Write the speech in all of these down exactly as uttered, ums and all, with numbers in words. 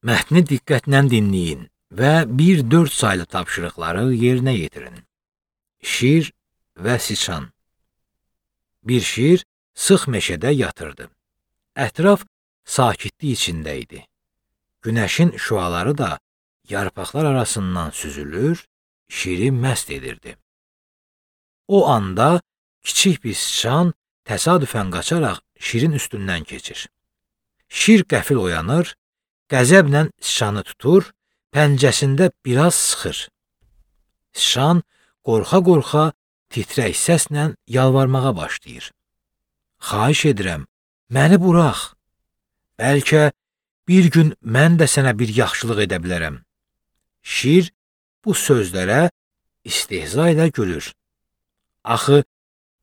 Mətni diqqətlə dinləyin və bir dörd saylı tapşırıqları yerinə yetirin. Şir və siçan. Bir şir sıx meşədə yatırdı. Ətraf sakitlik içində idi. Günəşin şüaları da yarpaqlar arasından süzülür, şiri məst edirdi. O anda kiçik bir siçan təsadüfən qaçaraq şirin üstündən keçir. Şir qəfil oyanır, qəzəblə siçanı tutur, pəncəsində biraz sıxır. Siçan qorxa-qorxa titrək səslə yalvarmağa başlayır. Xahiş edirəm, məni burax. Bəlkə bir gün mən də sənə bir yaxşılıq edə bilərəm. Şir bu sözlərə istehza ilə gülür. Axı,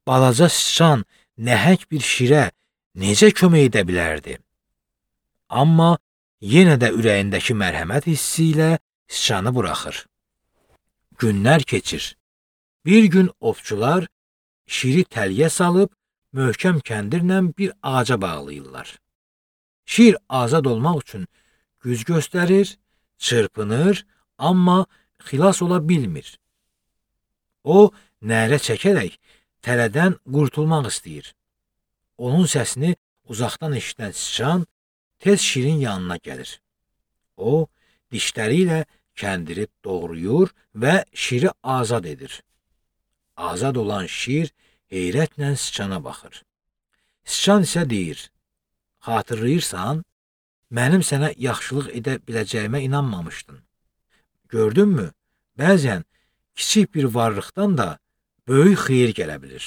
balaca siçan nəhəng bir şirə necə kömək edə bilərdi? Amma yenə də ürəyindəki mərhəmət hissi ilə siçanı buraxır. Günlər keçir. Bir gün ovçular şiri təliyə salıb, möhkəm kəndirlə bir ağaca bağlayırlar. Şir azad olmaq üçün güc göstərir, çırpınır, amma xilas ola bilmir. O, nərə çəkərək tələdən qurtulmaq istəyir. Onun səsini uzaqdan eşidən siçan tez şirin yanına gəlir. O, dişləri ilə kəndiri doğrayır və şiri azad edir. Azad olan şir heyrətlə siçana baxır. Siçan isə deyir, xatırlayırsan, mənim sənə yaxşılıq edə biləcəyimə inanmamışdın. Gördünmü, bəzən kiçik bir varlıqdan da böyük xeyir gələ bilir.